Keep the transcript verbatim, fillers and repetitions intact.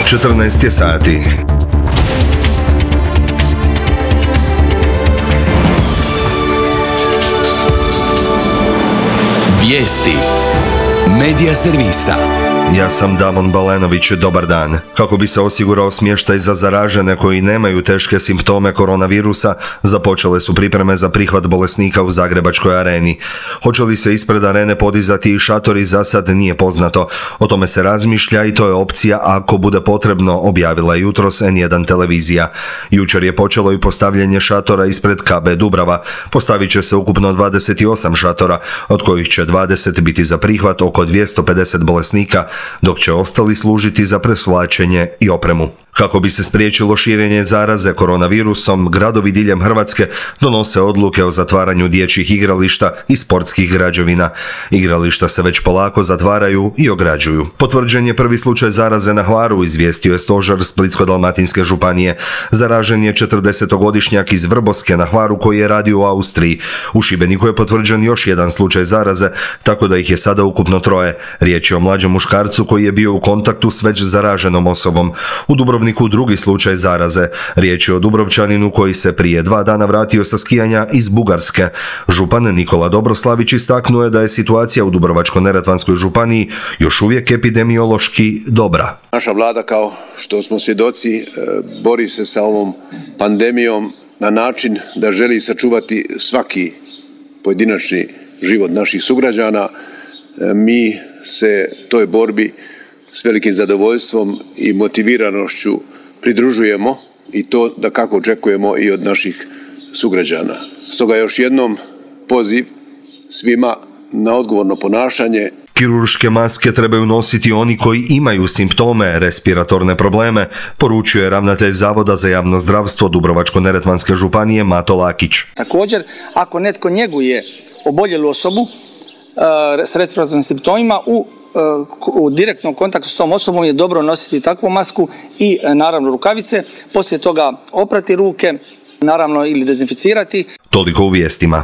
četrnaest je sati. Vijesti Medija servisa. Ja sam Damon Balenović, dobar dan. Kako bi se osigurao smještaj za zaražene koji nemaju teške simptome koronavirusa, započele su pripreme za prihvat bolesnika u Zagrebačkoj areni. Hoće li se ispred arene podizati i šatori, za sad nije poznato. O tome se razmišlja i to je opcija ako bude potrebno, objavila jutros en jedan televizija. Jučer je počelo i postavljanje šatora ispred ka be Dubrava. Postavit će se ukupno dvadeset osam šatora, od kojih će dvadeset biti za prihvat oko dvjesto pedeset bolesnika, dok će ostali služiti za presvlačenje i opremu. Kako bi se spriječilo širenje zaraze koronavirusom, gradovi diljem Hrvatske donose odluke o zatvaranju dječjih igrališta i sportskih građevina. Igrališta se već polako zatvaraju i ograđuju. Potvrđen je prvi slučaj zaraze na Hvaru, izvijestio je stožer Splitsko-dalmatinske županije. Zaražen je četrdesetogodišnjak iz Vrboske na Hvaru koji je radio u Austriji. U Šibeniku je potvrđen još jedan slučaj zaraze, tako da ih je sada ukupno troje. Riječ je o mlađem muškarcu koji je bio u kontaktu s već zaraženom osobom. U Dubrovniku drugi slučaj zaraze. Riječ je o Dubrovčaninu koji se prije dva dana vratio sa skijanja iz Bugarske. Župan Nikola Dobroslavić istaknuo je da je situacija u Dubrovačko-neretvanskoj županiji još uvijek epidemiološki dobra. Naša vlada, kao što smo svjedoci, bori se sa ovom pandemijom na način da želi sačuvati svaki pojedinačni život naših sugrađana. Mi se toj borbi s velikim zadovoljstvom i motiviranošću pridružujemo i to da kako očekujemo i od naših sugrađana. Stoga još jednom poziv svima na odgovorno ponašanje. Kirurške maske trebaju nositi oni koji imaju simptome, respiratorne probleme, poručuje ravnatelj Zavoda za javno zdravstvo Dubrovačko-neretvanske županije Mato Lakić. Također, ako netko njeguje oboljelu osobu uh, s respiratornim simptomima, u u direktnom kontaktu s tom osobom je dobro nositi takvu masku i naravno rukavice, poslije toga oprati ruke, naravno ili dezinficirati. Toliko u vijestima.